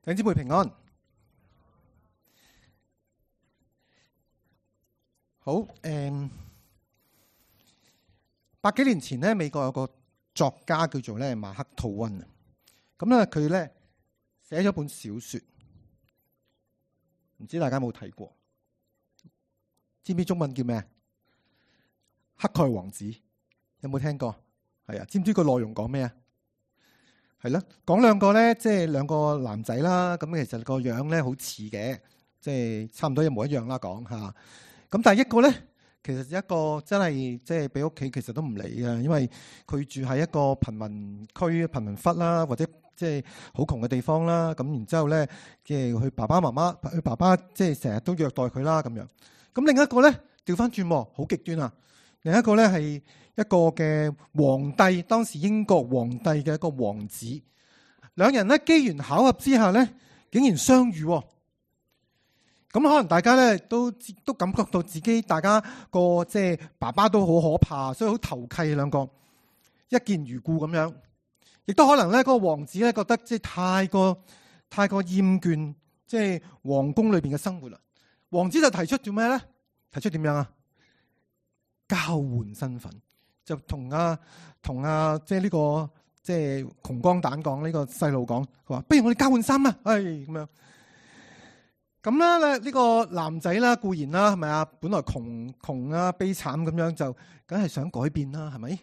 弟兄姊妹平安。好，百幾年前咧，美國有個作家叫做咧馬克吐溫啊。咁咧佢咧寫咗本小說，唔知大家有冇睇過？知唔知中文叫咩？乞丐王子，有冇聽過？係啊，知唔知個內容講咩啊？係咯，講兩個咧，即係兩個男仔啦。咁其實個樣咧好似嘅，即係差唔多一模一樣啦。講吓，咁但係一個咧，其實一個真係即係俾屋企其實都唔理嘅，因為佢住喺一個貧民區、貧民窟啦，或者即係好窮嘅地方啦。咁然之後咧，即係佢爸爸即係成日都虐待佢啦咁樣。咁另一個咧調翻轉，好極端啊！另一個咧係一個嘅皇帝，當時英國皇帝嘅一個王子，兩人咧機緣巧合之下咧，竟然相遇。咁可能大家咧都感覺到自己大家個即係爸爸都好可怕，所以好投契兩個，一見如故咁樣。亦都可能咧，嗰個王子咧覺得即係太過厭倦即係皇宮裏邊嘅生活啦。王子就提出做咩咧？提出點樣啊？交換身份，就同即係呢個即係窮光蛋講，呢個細路講，佢話不如我哋交換衫啦，咁樣。咁咧呢個男仔啦，固然啦，係咪啊？本來窮啊，悲慘咁樣，就梗係想改變啦，係咪？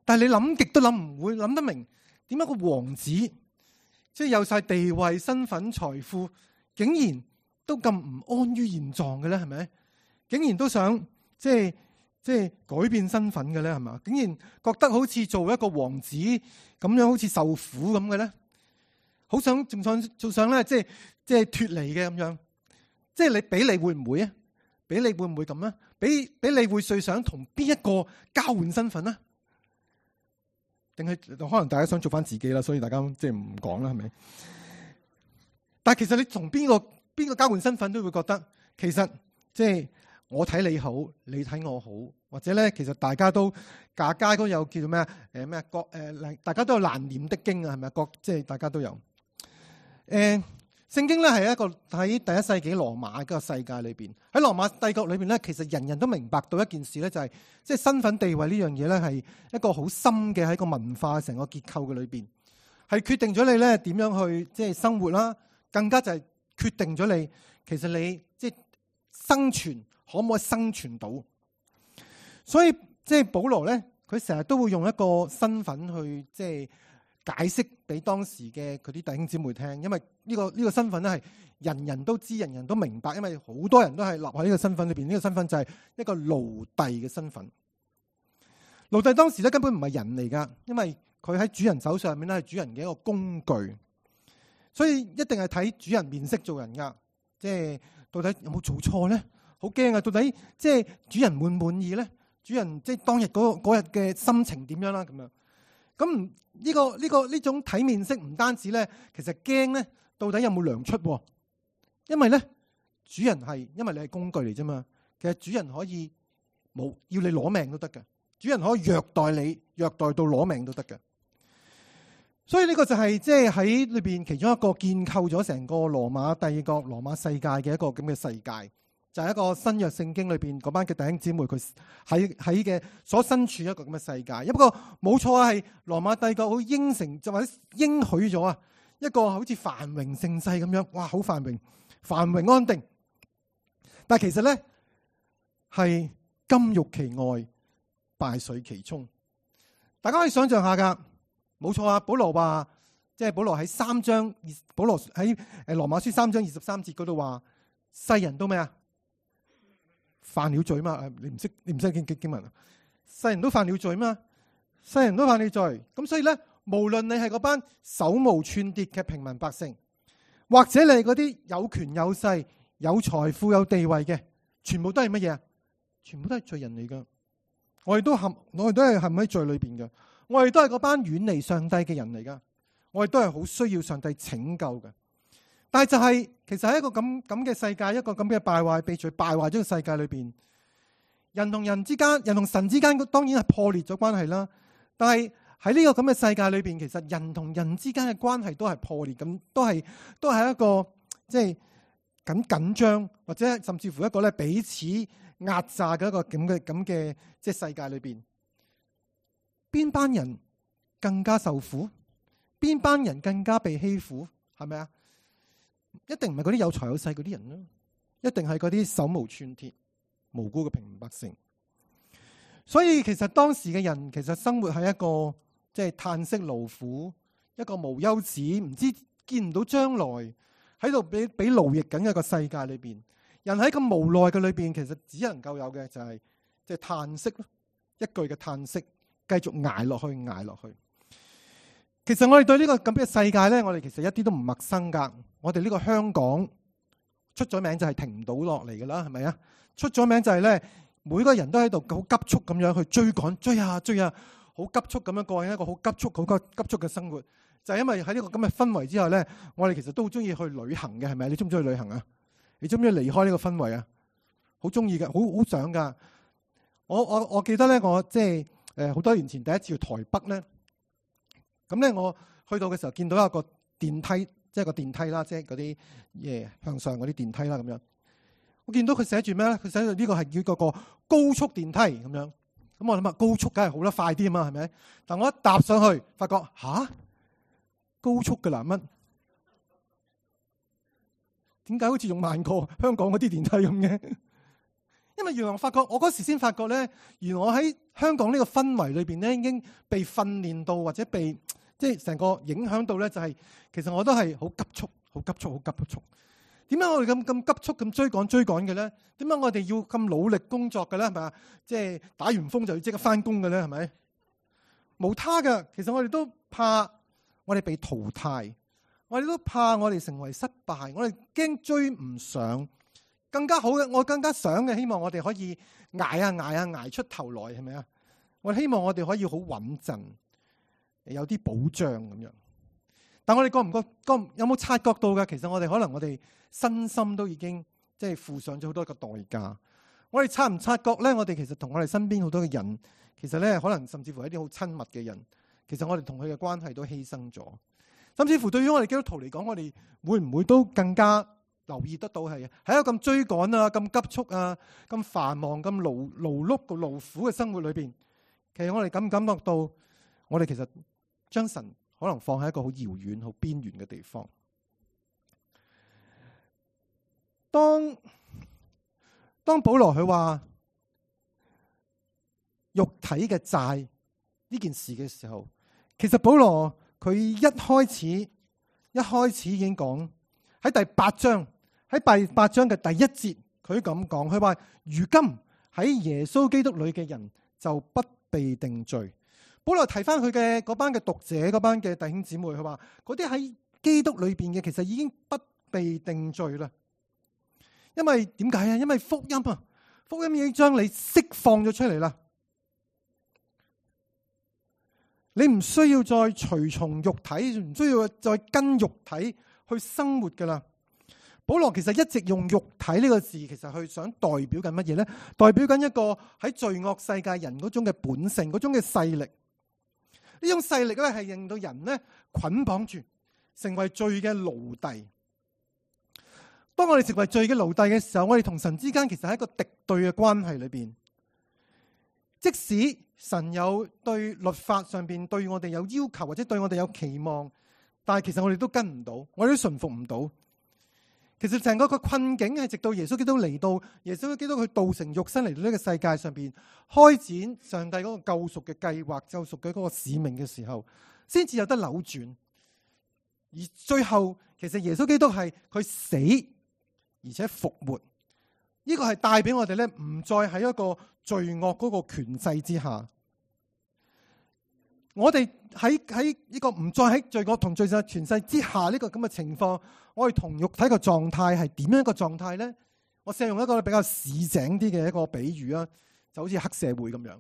但係你諗極都諗唔會諗得明，點解個王子即係有晒地位、身份、財富，竟然都咁唔安於現狀嘅咧？係咪？竟然都想即係改變身份嘅咧？係嘛？竟然覺得好似做一個王子咁樣，好似受苦咁嘅咧？好想仲想咧，即係脫離嘅咁樣。即係你會唔會啊？俾你會唔會咁啊？俾你會最想同邊一個交換身份啊？定係可能大家想做翻自己啦，所以大家即係唔講啦，係咪？但係其實你同邊個交換身份都會覺得，其實即係我睇你好，你睇我好，或者咧，其實大家都家都有叫做咩大家都有難念的經啊，係咪？即係大家都有聖經咧係一個喺第一世紀羅馬個世界裏邊，喺羅馬帝國裏邊咧，其實人人都明白到一件事咧，就係即係身份地位呢樣嘢咧，係一個好深嘅喺個文化成個結構嘅裏邊，係決定咗你咧點樣去即係生活啦，更加就係決定咗你其實你即係生存可唔可以生存到。所以即係保羅咧，佢成日都會用一個身份去即係解釋俾當時嘅佢啲弟兄姊妹聽，因為呢個身份咧係人人都知、人人都明白，因為好多人都係立喺呢個身份裏邊。呢個身份就係一個奴隸嘅身份。奴隸當時咧根本唔係人嚟噶，因為佢喺主人手上面咧係主人嘅一個工具，所以一定係睇主人面色做人噶。即係到底有冇做錯咧？好驚啊！到底即係主人滿唔滿意咧？主人即係當日嗰日嘅心情點樣啦？咁樣。咁呢種睇面色唔單止咧，其實驚咧，到底有冇糧出？因為咧，主人係因為你係工具嚟啫嘛。其實主人可以冇要你攞命都得嘅，主人可以虐待你，虐待到攞命都得嘅。所以呢個就係即係喺裏邊其中一個建構咗成個羅馬帝國、羅馬世界嘅一個咁嘅世界。就係一個新約聖經裏邊嗰班嘅弟兄姊妹，佢喺嘅所身處一個咁嘅世界。不過冇錯啊，係羅馬帝國好應承就或者應許咗啊，一個好似繁榮盛世咁樣，哇，好繁榮安定。但係其實咧係金玉其外，敗絮其中。大家可以想象下噶，冇錯啊。保羅話，即係保羅喺保羅喺羅馬書3章23節嗰度話，世人都咩啊？犯了罪嘛？你唔識經文啊？世人都犯了罪嘛？世人都犯了罪。咁所以咧，無論你係嗰班手無寸鐵嘅平民百姓，或者你係嗰啲有權有勢、有財富有地位嘅，全部都係乜嘢啊？全部都係罪人嚟噶。我哋都係陷喺罪裏邊嘅。我哋都係嗰班遠離上帝嘅人嚟噶。我哋都係好需要上帝拯救嘅。但係就係，其實喺一個咁嘅世界，一個咁嘅敗壞、被罪敗壞咗嘅世界裏邊，人同人之間、人同神之間，當然係破裂咗關係啦。但係喺呢個咁嘅世界裏邊，其實人同人之間嘅關係都係破裂咁，都係一個即係緊張，或者甚至乎一個咧彼此壓榨嘅一個咁嘅即係世界裏邊，邊班人更加受苦，邊班人更加被欺負，係咪啊？一定唔係嗰啲有財有勢嗰啲人啦，一定係嗰啲手無寸鐵、無辜嘅平民百姓。所以其實當時嘅人其實生活喺一個即係嘆息勞苦，一個無休止，唔知見唔到將來，喺度俾勞役緊嘅一個世界裏邊。人喺咁無奈嘅裏邊，其實只能夠有嘅就係即係嘆息咯，一句嘅嘆息，繼續捱落去，捱落去。其實我哋對呢個咁嘅世界咧，我哋其實一啲都唔陌生噶。我哋呢個香港出咗名就係停唔到落嚟噶啦，係咪啊？出咗名就係咧，每個人都喺度好急速咁樣去追趕，追啊，好急速咁樣過一個好急速嘅生活。就係因為喺呢個咁嘅氛圍之下咧，我哋其實都好中意去旅行嘅，係咪？你中唔中意旅行啊？你中唔中意離開呢個氛圍啊？好中意嘅，好想噶。我記得咧，我即係好多年前第一次去台北咧。咁咧，我去到嘅時候見到一個電梯，即係個電梯啦，即係嗰啲向上嗰啲電梯啦，咁樣。我見到佢寫住咩咧？佢寫住呢個係叫嗰個高速電梯咁樣。咁我諗下高速梗係好得快啲啊嘛，係咪？但我一搭上去，發覺高速嘅啦乜？點解好似仲慢過香港嗰啲電梯咁嘅？因為原來我嗰時先發覺咧，原來我喺香港呢個氛圍裏邊咧，已經被訓練到或者被即係成個影響到咧，就係其實我都係好急促。點解我哋咁急速咁追趕嘅咧？點解我哋要咁努力工作嘅咧？係咪啊？即係打完風就要即刻翻工嘅咧？係咪？無他嘅，其實我哋都怕我哋被淘汰，我哋都怕我哋成為失敗，我哋驚追唔上。更加好嘅，我更加想嘅，希望我哋可以捱出頭來，係咪啊？我希望我哋可以好穩陣，有啲保障咁樣。但我哋有冇察覺到嘅？其實我哋身心都已經即係付上咗好多個代價。我哋察唔察覺咧？我哋其實同我哋身邊好多嘅人，其實咧可能甚至乎一啲好親密嘅人，其實我哋同佢嘅關係都犧牲咗。甚至乎對於我哋基督徒嚟講，我哋會唔會都更加留意得到係喺一個咁追趕啊、咁急促啊、咁繁忙、咁勞碌、個勞苦嘅生活裏邊，其實我哋感唔感覺到，我哋其實將神可能放喺一個好遙遠、好邊緣嘅地方。當保羅佢話肉體嘅債呢件事嘅時候，其實保羅佢一開始已經講喺第8章。喺第8章嘅第1節，佢咁講，佢話如今喺耶穌基督裏嘅人就不被定罪。保羅提翻佢嘅嗰班嘅讀者，嗰班嘅弟兄姊妹，佢話嗰啲喺基督裏邊嘅，其實已經不被定罪啦。因為點解啊？因為福音已經將你釋放咗出嚟啦。你唔需要再隨從肉體，唔需要再跟肉體去生活噶啦。保羅其實一直用肉體呢個字，其實去想代表緊乜嘢咧？代表緊一個喺罪惡世界人嗰種嘅本性，嗰種嘅勢力。呢種勢力咧係令到人咧捆綁住，成為罪嘅奴隸。當我哋成為罪嘅奴隸嘅時候，我哋同神之間其實係一個敵對嘅關係裏邊。即使神有對律法上邊對我哋有要求，或者對我哋有期望，但係其實我哋都跟唔到，我哋都順服唔到。其實成個困境係直到耶穌基督嚟到，耶穌基督佢道成肉身嚟到呢個世界上邊，開展上帝嗰個救贖嘅計劃、救贖嘅嗰個使命嘅時候，先至有得扭轉。而最後，其實耶穌基督係佢死而且復活，呢個係帶俾我哋咧，唔再喺一個罪惡嗰個權勢之下。我哋喺呢個唔再喺罪惡同罪惡權勢之下呢個咁嘅情況，我哋同肉體嘅狀態係點樣一個狀態咧？我試用一個比較市井啲嘅一個比喻啊，就好似黑社會咁樣。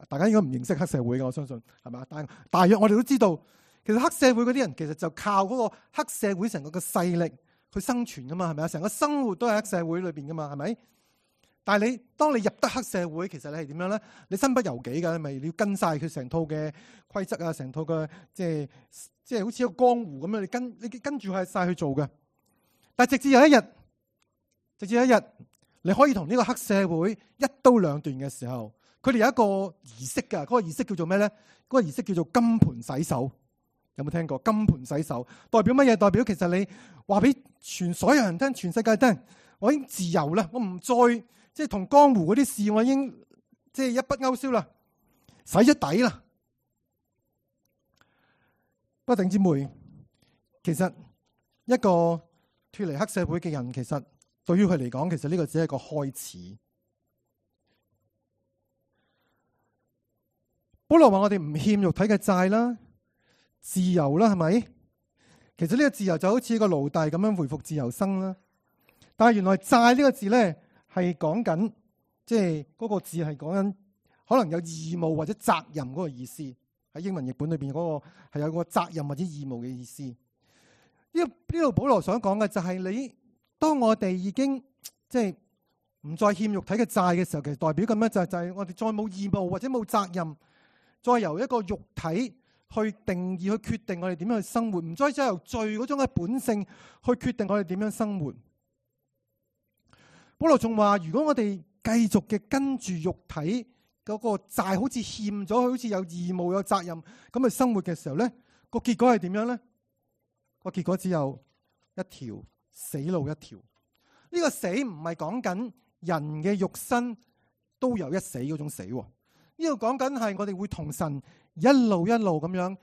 大家應該唔認識黑社會嘅，我相信係嘛？但大約我哋都知道，其實黑社會嗰啲人其實就靠嗰個黑社會成個嘅勢力去生存噶嘛，係咪啊？成個生活都係黑社會裏邊噶嘛，係咪？但係當你入得黑社會，其實你係點樣咧？你身不由己㗎，你要跟晒佢成套嘅規則啊，成套嘅即係好似一個江湖咁樣，你跟住係晒去做嘅。但係直至有一日，你可以同呢個黑社會一刀兩斷嘅時候，佢哋有一個儀式㗎。嗰個儀式叫做咩咧？嗰個儀式叫做金盆洗手。有冇聽過金盆洗手？代表乜嘢？代表其實你話俾所有人聽，全世界聽，我已經自由啦，我唔再同江湖嗰啲事，我已經一筆勾銷啦，洗咗底啦。不過弟兄姊妹，其實一個脫離黑社會嘅人，其實對於佢嚟講，其實呢個只係一個開始。保羅話我哋唔欠肉體嘅債啦，自由啦，係咪？其實呢個自由就好似個奴隸咁樣回復自由身啦。但係原來債呢個字咧係講緊，嗰個字係講緊可能有義務或者責任嗰個意思。喺英文譯本裏邊嗰個係有個責任或者義務嘅意思。呢度保羅想講嘅就係當我哋已經唔再欠肉體嘅債嘅時候，其實代表咁樣就係我哋再冇義務或者冇責任，再由一個肉體去定義、去決定我哋點樣去生活，唔再由罪嗰種嘅本性去決定我哋點樣生活。保羅仲話：如果我哋繼續嘅跟住肉體嗰個債，好似欠咗，好似有義務、有責任咁去生活嘅時候咧，個結果係點樣咧？個結果只有一條死路一條。呢個死唔係講緊人嘅肉身都有一死嗰種死。呢度講緊係我哋會同神一路咁樣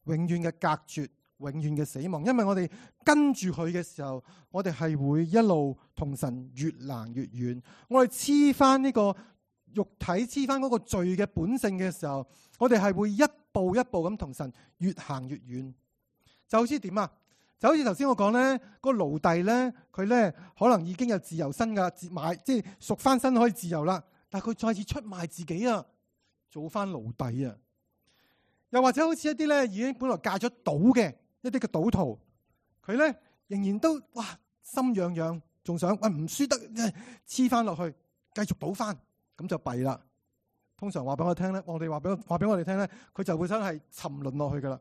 永遠嘅隔絕，永遠嘅死亡。因為我哋跟住佢嘅時候，我哋係會一路同神越行越遠。我哋黐翻呢個肉體，黐翻嗰個罪嘅本性嘅時候，我哋係會一步一步咁同神越行越遠。就好似點啊？就好似頭先我講咧，個奴隸咧，佢咧可能已經有自由身噶，贖翻身可以自由啦。但係佢再次出賣自己啊，做翻奴隸啊。又或者好似一啲咧已經本來戒咗賭嘅一啲嘅賭徒，佢咧仍然都心癢癢，仲想唔輸得黐翻落去，繼續賭翻，咁就弊啦。通常話俾我聽咧，我哋話俾我哋聽咧，佢就會真係沉淪落去噶啦。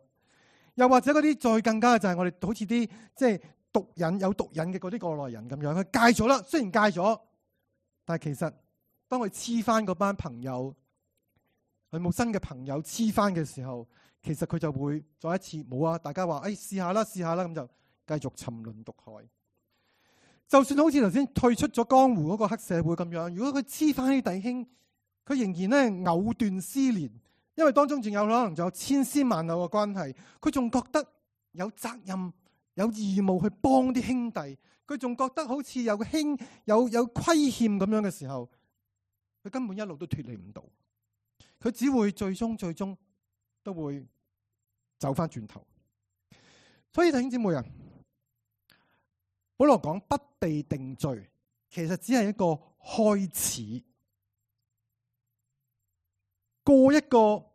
又或者嗰啲再更加嘅就係我哋好似啲毒癮有毒癮嘅嗰啲過來人咁樣，佢戒咗啦，雖然戒咗，但係其實當佢黐翻嗰班朋友，佢冇新嘅朋友黐翻嘅時候，其實佢就會再一次冇啊！大家話試下啦，咁就繼續沉淪毒海。就算好似頭先退出咗江湖嗰個黑社會咁樣，如果佢黐翻啲弟兄，佢仍然咧藕斷絲連。因為當中仲有可能仲有千絲萬縷嘅關係，佢仲覺得有責任、有義務去幫啲兄弟，佢仲覺得好似有虧欠咁樣嘅時候，佢根本一路都脫離唔到，佢只會最終都會走翻轉頭。所以弟兄姊妹啊，保羅講不被定罪，其實只係一個開始，過一個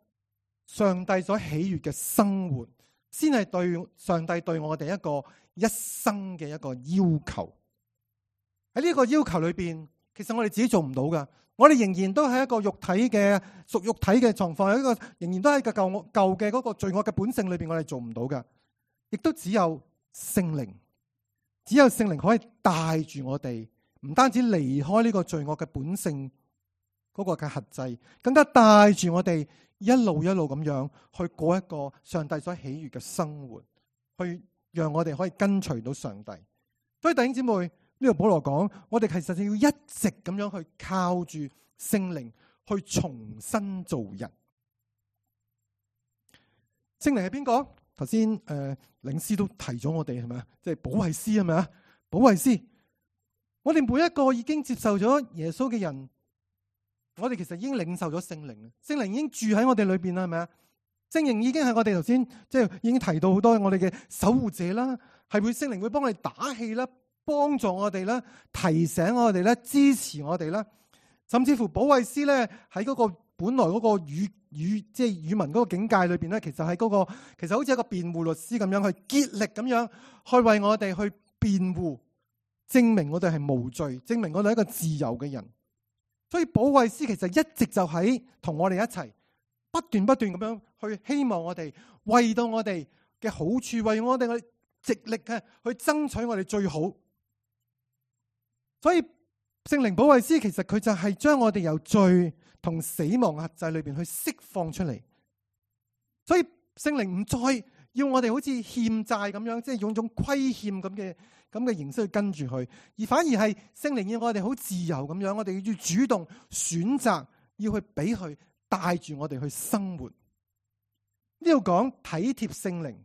上帝所喜悅嘅生活，先係對上帝對我哋一個一生嘅一個要求。喺呢個要求裏邊，其實我哋自己做唔到噶，我哋仍然都係一個屬肉體嘅狀況，仍然都係個舊嘅嗰個罪惡嘅本性裏邊，我哋做唔到噶。亦都只有聖靈可以帶住我哋，唔單止離開呢個罪惡嘅本性嗰個嘅轄制，更加帶住我哋一路咁樣去過一個上帝所喜悅嘅生活，去讓我哋可以跟隨到上帝。所以弟兄姊妹，呢度保羅講，我哋其實要一直咁樣去靠住聖靈去重新做人。聖靈係邊個？頭先領詩都提咗我哋，係咪啊？即係保惠師，係咪啊？保惠師，我哋每一個已經接受咗耶穌嘅人，我哋其實已經領受咗聖靈，聖靈已經住喺我哋裏邊啦，係咪啊？聖靈已經係我哋頭先已經提到好多我哋嘅守護者啦，係聖靈會幫我哋打氣啦，幫助我哋啦，提醒我哋啦，支持我哋啦，甚至乎保惠師咧喺嗰個本來嗰個語文嗰個境界裏邊咧，其實喺嗰個其實好似一個辯護律師咁樣去竭力咁樣去為我哋去辯護，證明我哋係無罪，證明我哋係一個自由嘅人。所以保惠師其實一直就喺同我哋一齊，不斷咁樣去希望我哋為到我哋嘅好處，為我哋極力嘅去爭取我哋最好。所以聖靈保惠師其實佢就係將我哋由罪同死亡轄制裏邊去釋放出嚟。所以聖靈唔再要我哋好似欠債咁樣，即係用種虧欠咁嘅形式去跟住佢，而反而係聖靈要我哋好自由咁樣，我哋要主動選擇要去俾佢帶住我哋去生活。呢度講體貼聖靈，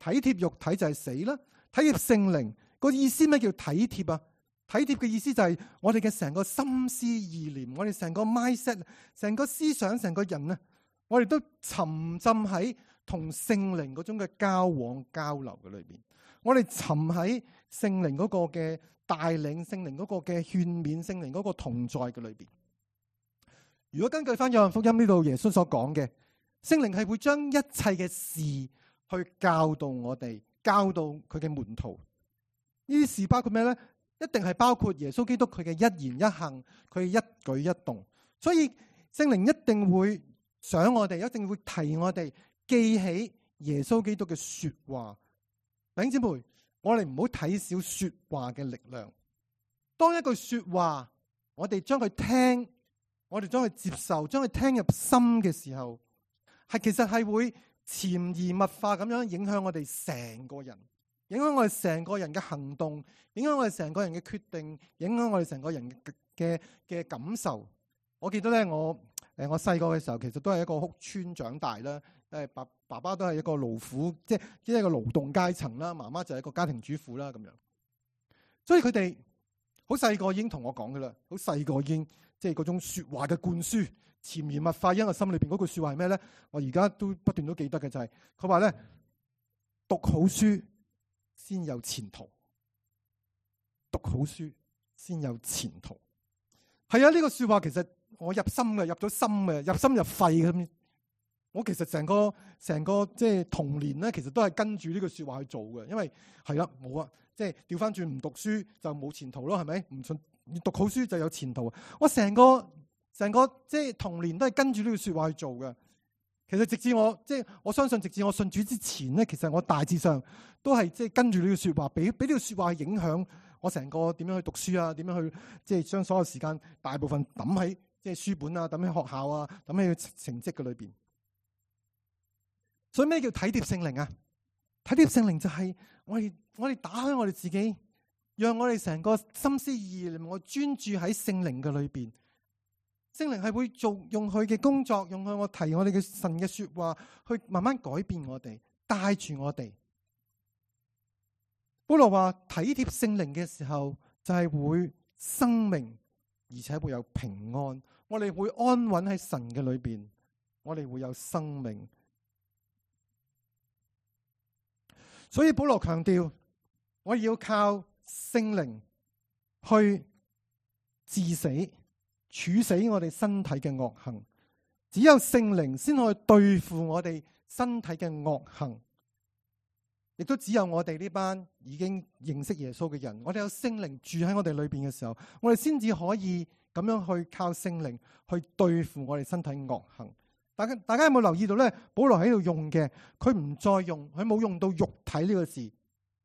體貼肉體就係死啦，體貼聖靈個意思咩叫體貼啊？體貼嘅意思就係我哋嘅成個心思意念，我哋成個 mindset， 成個思想，成個人啊，我哋都沉浸喺同聖靈嗰種嘅交往交流嘅裏邊，我哋沉喺聖靈嗰個嘅帶領，聖靈嗰個嘅勸勉，聖靈嗰個同在嘅裏邊。如果根據翻約翰福音呢度耶穌所講嘅，聖靈係會將一切嘅事去教導我哋，教導佢嘅門徒。呢啲事包括咩呢？一定係包括耶穌基督佢嘅一言一行，佢嘅一舉一動。所以聖靈一定會想我哋，一定會提我哋記起耶穌基督嘅說話。弟兄姊妹，我哋唔好睇小說話嘅力量。當一句說話，我哋將佢聽，我哋將佢接受，將佢聽入心嘅時候，其實係會潛移默化咁樣影響我哋成個人，影響我哋成個人嘅行動，影響我哋成個人嘅決定，影響我哋成個人嘅感受。我記得咧，我細個嘅時候，其實都係一個屋邨長大啦。爸爸都係一個勞苦，即係一個勞動階層啦。媽媽就係一個家庭主婦啦，咁樣。所以佢哋好細個已經同我講噶啦，好細個已經即係嗰種說話嘅灌輸，潛移默化喺我心裏邊嗰句說話係咩咧？我而家都不斷都記得嘅就係佢話咧，讀好書先有前途，讀好書先有前途。係啊，呢個說話其實我入心嘅，入咗心嘅，入心入肺咁。我其實成個即係童年咧，其實都係跟住呢句說話去做嘅。因為係啦，冇啊，即係調翻轉唔讀書就冇前途咯，係咪？唔信你讀好書就有前途。我成個即係童年都係跟住呢句說話去做嘅。其實直至我相信，直至我信主之前咧，其實我大致上都係即係跟住呢句說話，俾呢句說話影響我成個點樣去讀書啊，點樣去即係將所有時間大部分抌喺即係書本啊，抌喺學校啊，抌喺成績嘅裏邊。所以咩叫體貼聖靈啊？體貼聖靈就係我哋打開我哋自己，讓我哋成個心思意念，我專注喺聖靈嘅裏邊。聖靈係會用佢嘅工作，用我提我哋嘅神嘅說話，去慢慢改變我哋，帶住我哋。保羅話體貼聖靈嘅時候，就係會生命，而且會有平安。我哋會安穩喺神嘅裏邊，我哋會有生命。所以保羅強調，我要靠聖靈去治死、處死我哋身體嘅惡行。只有聖靈先可以對付我哋身體嘅惡行，亦都只有我哋呢班已經認識耶穌嘅人，我哋有聖靈住喺我哋裏邊嘅時候，我哋先至可以咁樣去靠聖靈去對付我哋身體惡行。大家有冇留意到咧？保羅喺度用嘅，佢冇用到肉體呢個字，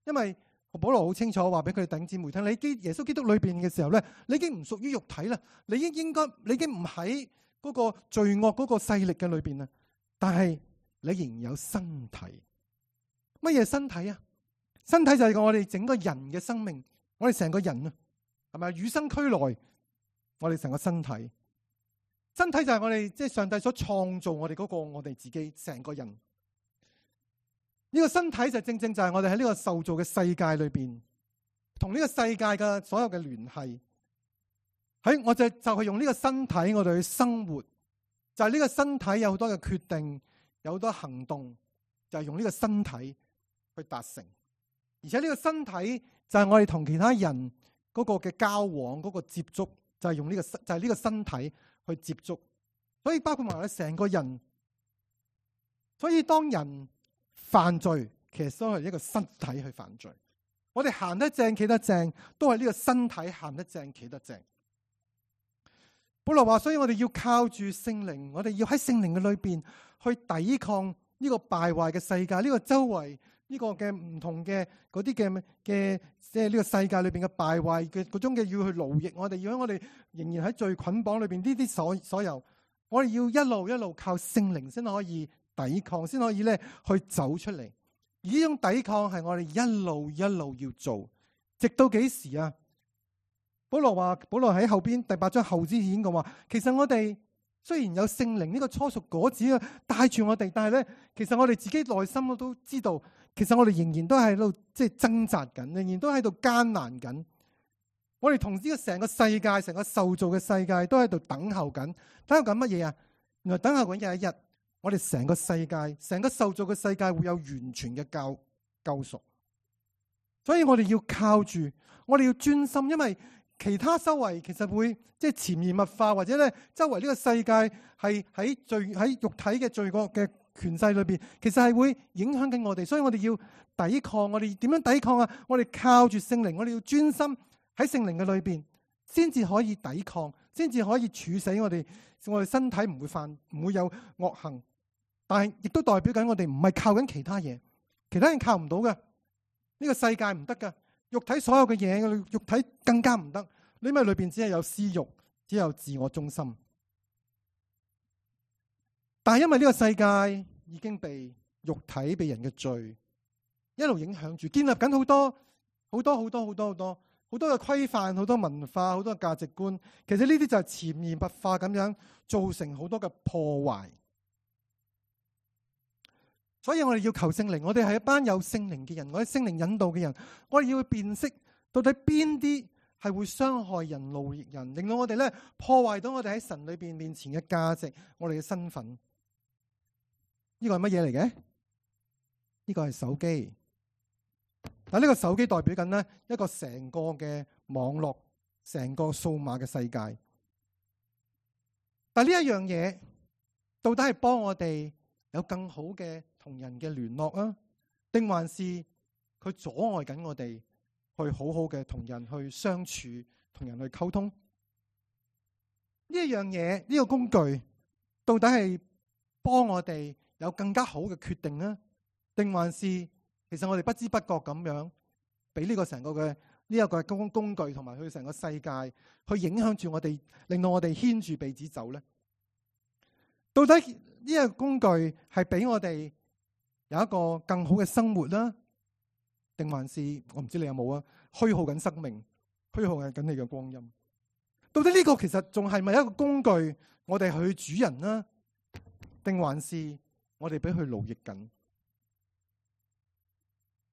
因為保羅好清楚話俾佢哋弟兄姊妹聽，你耶穌基督裏邊嘅時候咧，你已經唔屬於肉體啦，你已經唔喺嗰個罪惡嗰個勢力嘅裏邊啦，但係你仍然有身體。乜嘢身體啊？身體就係我哋整個人嘅生命，我哋成個人啊，係咪與生俱來？我哋成個身體。身體就係我哋即係上帝所創造我哋嗰個我哋自己成個人。呢個身體就正正就係我哋喺呢個受造嘅世界裏邊，同呢個世界嘅所有嘅聯繫。我就係用呢個身體我哋去生活，就係呢個身體有好多嘅決定，有好多行動，就係用呢個身體去達成。而且呢個身體就係我哋同其他人嗰個嘅交往，嗰個接觸，就係用呢個身體去接觸，所以包括埋我哋成個人。所以當人犯罪，其實都係一個身體去犯罪。我哋行得正企得正，都係呢個身體行得正企得正。保羅話，所以我哋要靠住聖靈，我哋要喺聖靈嘅裏邊去抵抗呢個敗壞嘅世界，呢個周圍呢個嘅唔同嘅嗰啲嘅即係呢個世界裏邊嘅敗壞嘅嗰種嘅要去奴役我哋，要喺我哋仍然喺罪捆綁裏邊呢啲所有，我哋要一路靠聖靈先可以抵抗，先可以咧去走出嚟。而呢種抵抗係我哋一路要做，直到幾時啊？保羅喺後邊第8章後之前講話，其實我哋雖然有聖靈呢個初熟果子啊帶住我哋，但係咧，其實我哋自己內心都知道，其實我哋仍然都喺度即係掙扎緊，仍然都喺度艱難緊。我哋同呢個成個世界、成個受造嘅世界都喺度等候緊乜嘢啊？原來等候緊有一日，我哋成個世界、成個受造嘅世界會有完全嘅救贖。所以我哋要靠住，我哋要專心，因為其他周圍其實會即係潛移默化，或者咧周圍呢個世界係喺肉體嘅罪惡嘅權勢裏邊，其實係會影響緊我哋。所以我哋要抵抗，我哋點樣抵抗啊？我哋靠住聖靈，我哋要專心喺聖靈嘅裏邊，先至可以抵抗，先至可以處死我哋身體唔會有惡行。但係亦都代表緊我哋唔係靠緊其他嘢，其他人靠唔到嘅，呢個世界唔得㗎。肉體所有嘅嘢，肉體更加唔得。因為裏邊只係有私欲，只有自我中心。但係因為呢個世界已經被肉體、被人嘅罪一路影響住，建立緊好多嘅規範、好多文化、好多嘅價值觀。其實呢啲就係潛移默化咁樣造成好多嘅破壞。所以我哋要求聖靈，我哋係一班有聖靈嘅人，我哋聖靈引導嘅人，我哋要去辨識到底邊啲係會傷害人、奴役人，令到我哋咧破壞到我哋喺神裏邊面前嘅價值，我哋嘅身份。呢個係乜嘢嚟嘅？呢個係手機。但呢個手機代表緊咧一個成個嘅網絡，成個數碼嘅世界。但呢一樣嘢到底係幫我哋有更好嘅同人嘅聯絡啊，定還是佢阻礙緊我哋去好好嘅同人去相處，同人去溝通？呢一樣嘢，呢個工具到底係幫我哋有更加好嘅決定啊，定還是其實我哋不知不覺咁樣俾呢個成個嘅呢一個工具同埋佢成個世界去影響住我哋，令到我哋牽住鼻子走咧？到底呢個工具係俾我哋有一個更好嘅生活啦，定還是我唔知你有冇啊？虛耗緊生命，虛耗緊你嘅光陰。到底呢個其實仲係咪一個工具，我哋去主人啦，定還是我哋俾佢奴役緊？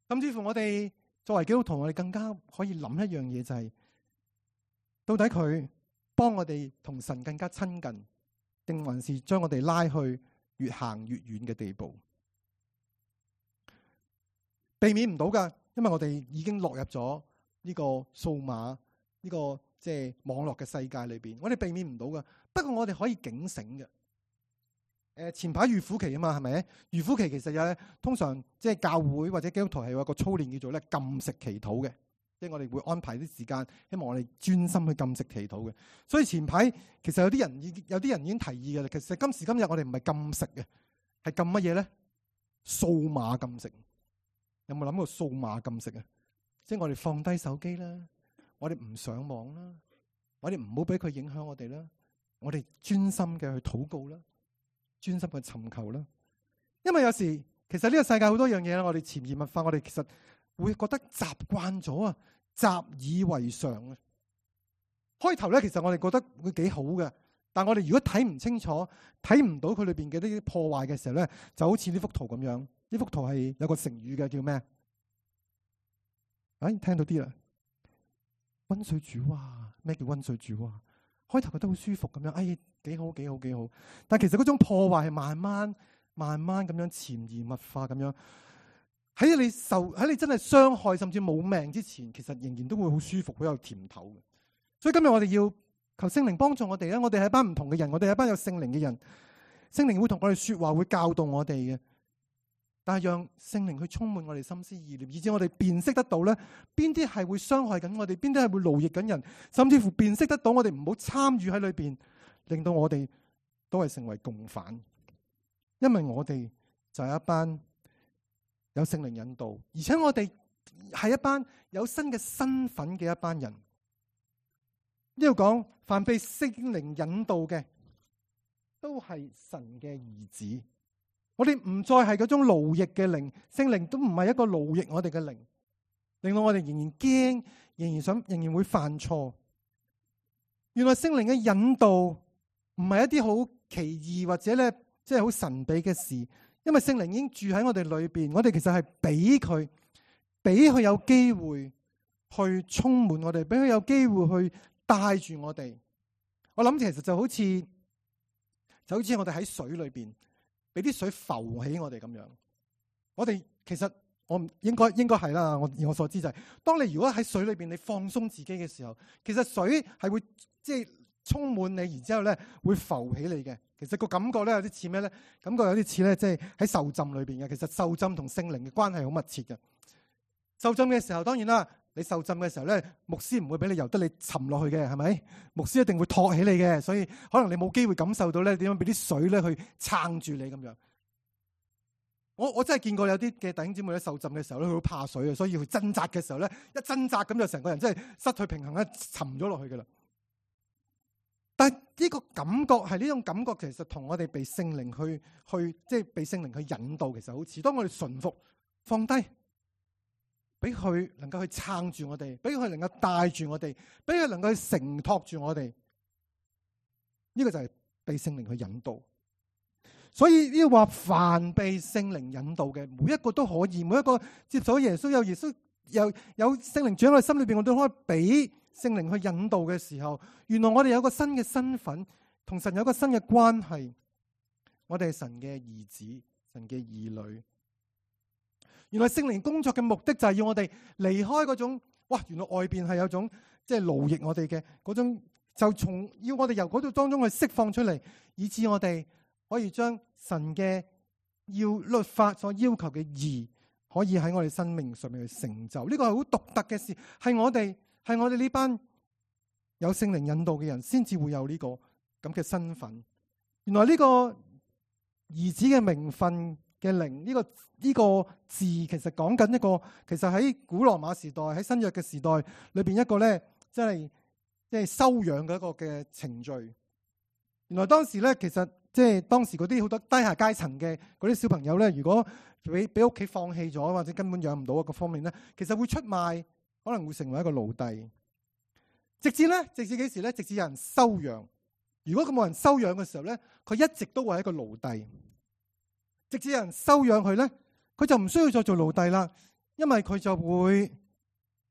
甚至乎我哋作為基督徒，我哋更加可以諗一樣嘢，就係到底佢幫我哋同神更加親近，定還是將我哋拉去越行越遠嘅地步？避免唔到噶，因為我哋已經落入咗呢個數碼呢個即係網絡嘅世界裏邊，我哋避免唔到噶。不過我哋可以警醒嘅。前排預苦期啊嘛，係咪？預苦期其實有通常即係教會或者基督徒係有一個操練叫做咧禁食祈禱嘅，即係我哋會安排啲時間，希望我哋專心去禁食祈禱嘅。所以前排其實有啲人已經提議嘅啦。其實今時今日我哋唔係禁食嘅，係禁乜嘢咧？數碼禁食。有冇諗過數碼禁食啊？即係我哋放低手機啦，我哋唔上網啦，我哋唔好俾佢影響我哋啦，我哋專心嘅去禱告啦，專心嘅尋求啦。因為有時其實呢個世界好多樣嘢，我哋潛移默化，我哋其實會覺得習慣咗啊，習以為常啊。開頭咧，其實我哋覺得會幾好嘅，但係我哋如果睇唔清楚，睇唔到佢裏邊嘅呢啲破壞嘅時候咧，就好似呢幅圖咁樣。呢幅圖係有個成語嘅，叫咩？聽到啲啦，溫水煮蛙。咩叫溫水煮蛙？開頭覺得好舒服咁樣，幾好幾好幾好。但其實嗰種破壞係慢慢咁樣潛移默化咁樣，喺你真係傷害甚至冇命之前，其實仍然都會好舒服，好有甜頭嘅。所以今日我哋要求聖靈幫助我哋咧，我哋係一班唔同嘅人，我哋係一班有聖靈嘅人，聖靈會同我哋說話，會教導我哋嘅。但係讓聖靈去充滿我哋心思意念，以致我哋辨識得到咧，邊啲係會傷害緊我哋，邊啲係會勞役緊人，甚至乎辨識得到我哋唔好參與喺裏邊，令到我哋都係成為共犯，因為我哋就係一班有聖靈引導，而且我哋係一班有新嘅身份嘅一班人。呢度講，凡被聖靈引導嘅，都係神嘅兒子。我哋唔再係嗰種奴役嘅靈，聖靈都唔係一個奴役我哋嘅靈，令到我哋仍然驚，仍然會犯錯。原來聖靈嘅引導唔係一啲好奇異或者咧，即係好神秘嘅事，因為聖靈已經住喺我哋裏邊，我哋其實係俾佢有機會去充滿我哋，俾佢有機會去帶住我哋。我諗其實就好似我哋喺水裏邊，俾啲水浮起我哋咁樣。我哋其實我唔應該係啦。我所知就係，當你如果喺水裏邊你放鬆自己嘅時候，其實水係會即係充滿你，然之後咧會浮起你嘅。其實個感覺咧有啲似咩咧？感覺有啲似咧，即係喺受浸裏邊嘅。其實受浸同聖靈嘅關係好密切嘅。受浸嘅時候，當然啦，你受浸嘅時候咧，牧師唔會俾你由得你沉落去嘅，係咪？牧師一定會托起你嘅，所以可能你冇機會感受到咧點樣俾啲水咧去撐住你咁樣。我真係見過有啲嘅弟兄姊妹咧受浸嘅時候咧，佢好怕水嘅，所以佢掙扎嘅時候咧，一掙扎咁就成個人真係失去平衡咧，沉咗落去噶啦。但係呢個感覺係呢種感覺，其實同我哋被聖靈去即係被聖靈去引導，其實好似當我哋順服放低，俾佢能夠去撐住我哋，俾佢能夠帶住我哋，俾佢能夠去承托住我哋。呢個就係被聖靈去引導。所以呢個話，凡被聖靈引導嘅，每一個都可以，每一個接受耶穌，有聖靈住喺我哋心裏邊，我都可以俾聖靈去引導嘅時候，原來我哋有個新嘅身份，同神有個新嘅關係。我哋係神嘅兒子，神嘅兒女。原來聖靈工作嘅目的就係要我哋離開嗰種，哇！原來外邊係有種即係奴役我哋嘅嗰種，就要我哋由嗰度當中去釋放出嚟，以致我哋可以將神嘅要律法所要求嘅義，可以喺我哋生命上面去成就。呢個係好獨特嘅事，係我哋呢班有聖靈引導嘅人先至會有呢個咁嘅身份。原來呢個兒子嘅名分嘅靈，呢個字其實講緊一個，其實喺古羅馬時代，喺新約嘅時代裏邊一個咧，即係收養嘅一個嘅程序。原來當時咧，其實即係當時嗰啲好多低下階層嘅嗰啲小朋友咧，如果俾屋企放棄咗，或者根本養唔到一個方面咧，其實會出賣，可能會成為一個奴隸。直至幾時咧？直至有人收養。如果佢冇人收養嘅時候咧，佢一直都會係一個奴隸。直至有人收養佢咧，佢就唔需要再做奴隸啦，因為佢就會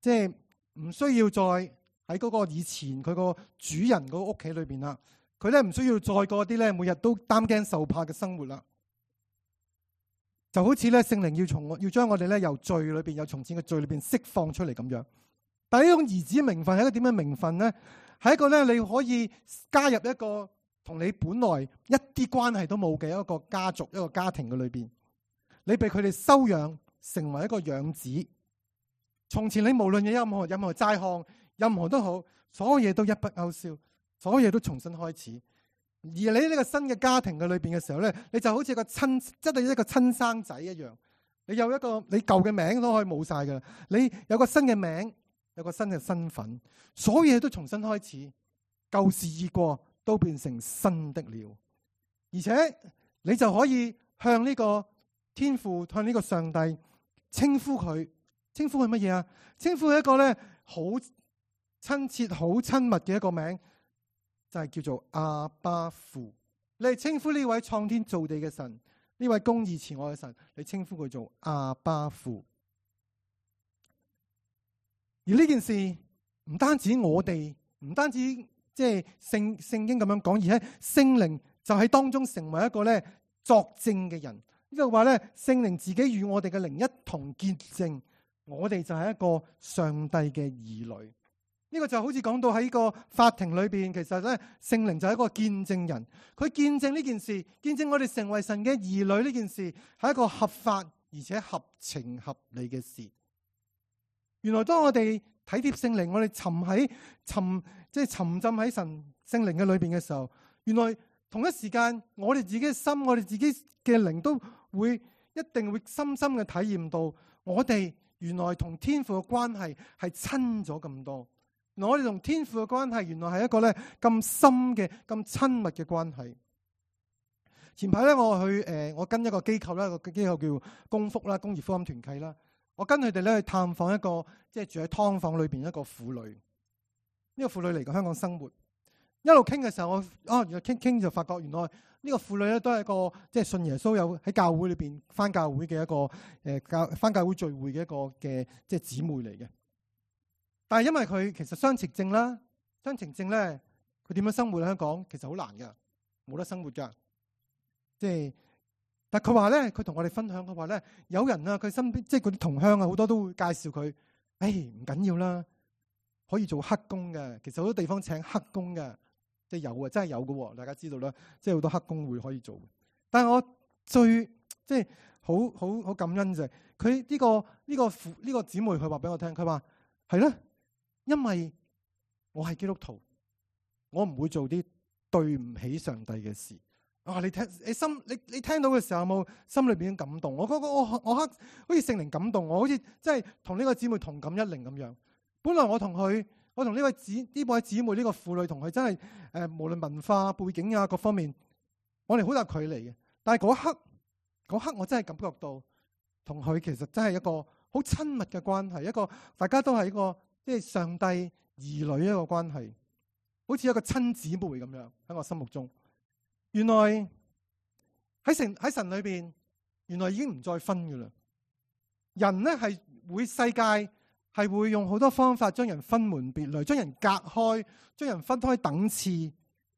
即係唔需要再喺嗰個以前佢個主人嗰個屋企裏邊啦。佢咧唔需要再過啲咧每日都擔驚受怕嘅生活啦。就好似咧聖靈要將我哋咧由罪裏邊，由從前嘅罪裏邊釋放出嚟咁樣。但係呢種兒子名分係一個點樣名分咧？係一個咧你可以加入一個同你本來一啲關係都冇嘅一個家族、一個家庭嘅裏邊，你被佢哋收養成為一個養子。從前你無論有任何債項，任何都好，所有嘢都一筆勾銷，所有嘢都重新開始。而你呢個新嘅家庭嘅裏邊嘅時候咧，你就好似真係一個親生仔一樣。你有一個你舊嘅名都可以冇晒噶啦，你有個新嘅名，有個新嘅身份，所有嘢都重新開始，舊事已過，都變成新的了。而且你就可以向呢個天父，向呢個上帝稱呼佢。稱呼佢乜嘢啊？稱呼佢一個咧好親切、好親密嘅一個名，就係叫做阿爸父。你係稱呼呢位創天造地嘅神，呢位公義慈愛嘅神，你稱呼佢做阿爸父。而呢件事唔單止我哋，唔單止即係聖經咁樣講，而係聖靈就喺當中成為一個咧作證嘅人。呢度話咧，聖靈自己與我哋嘅靈一同見證，我哋就係一個上帝嘅兒女。呢個就好似講到喺個法庭裏邊，其實咧聖靈就係一個見證人，佢見證呢件事，見證我哋成為神嘅兒女呢件事係一個合法而且合情合理嘅事。原來當我哋體貼聖靈，我哋沉浸喺神聖靈嘅裏邊嘅時候，原來同一時間，我哋自己嘅心，我哋自己嘅靈都一定會深深嘅體驗到，我哋原來同天父嘅關係係親咗咁多。原來我哋同天父嘅關係，原來係一個咧咁深嘅、咁親密嘅關係。前排咧，我跟一個機構啦，個機構叫公福啦，工業福音團契啦。我跟佢哋咧去探訪一個即係住喺劏房裏邊一個婦女。呢個婦女嚟過香港生活，一路傾嘅時候，原來傾就發覺，原來呢個婦女咧都係一個即係信耶穌，有喺教會裏邊返教會嘅一個返教會聚會嘅一個嘅即係姊妹嚟嘅。但係因為佢其實雙程證啦，雙程證咧，佢點樣生活喺香港其實好難噶，冇得生活噶。但佢話咧，佢同我哋分享，佢話咧，有人啊，佢身邊即係嗰啲同鄉啊，好多都會介紹佢，唔緊要啦，可以做黑工嘅。其實好多地方請黑工嘅，即係有啊，真係有嘅。大家知道啦，即係好多黑工會可以做。但係我最即係好感恩就係佢呢個姊妹，佢話俾我聽，佢話係啦，因為我係基督徒，我唔會做啲對唔起上帝嘅事。你聽到嘅時候有冇心裏邊感動？我覺得我好似聖靈感動我，好似真係同呢個姊妹同感一靈咁樣。本來我同呢位姊妹呢個婦女同佢真係無論文化背景啊各方面，我哋好大距離嘅。但係嗰刻我真係感覺到同佢其實真係一個好親密嘅關係，一個大家都係一個即係上帝兒女一個關係，好似一個親姊妹咁樣喺我心目中。原來喺神裏邊，原來已經唔再分噶啦。人呢係世界係會用好多方法將人分門別類，將人隔開，將人分開等次，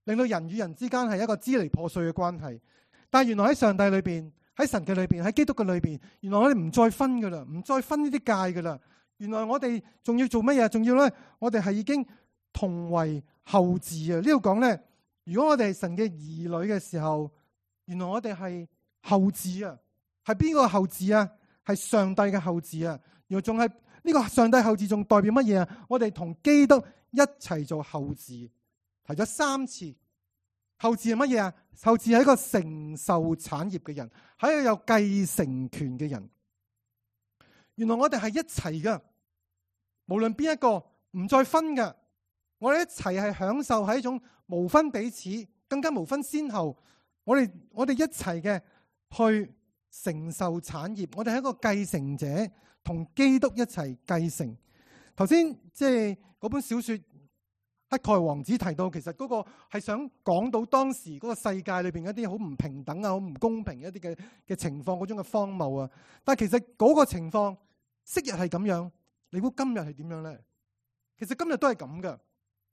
令到人與人之間係一個支離破碎嘅關係。但係原來喺上帝裏邊，喺神嘅裏邊，喺基督嘅裏邊，原來我哋唔再分噶啦，唔再分呢啲界噶啦。原來我哋仲要做乜嘢？仲要咧，我哋係已經同為後嗣啊！呢度講咧。如果我哋係神嘅兒女嘅時候，原來我哋係後嗣啊，係邊個後嗣啊？係上帝嘅後嗣啊！然後仲係呢個上帝後嗣，仲代表乜嘢啊？我哋同基督一齊做後嗣，提咗3次。後嗣係乜嘢啊？後嗣係一個承受產業嘅人，係一個有繼承權嘅人。原來我哋係一齊噶，無論邊一個唔再分噶。我哋一齊係享受係一種無分彼此，更加無分先後。我哋一齊嘅去承受產業，我哋係一個繼承者，同基督一齊繼承。頭先即係嗰本小說《乞丐王子》提到，其實嗰個係想講到當時嗰個世界裏邊一啲好唔平等啊、好唔公平一啲嘅情況，嗰種嘅荒謬啊。但係其實嗰個情況昔日係咁樣，你估今日係點樣咧？其實今日都係咁噶。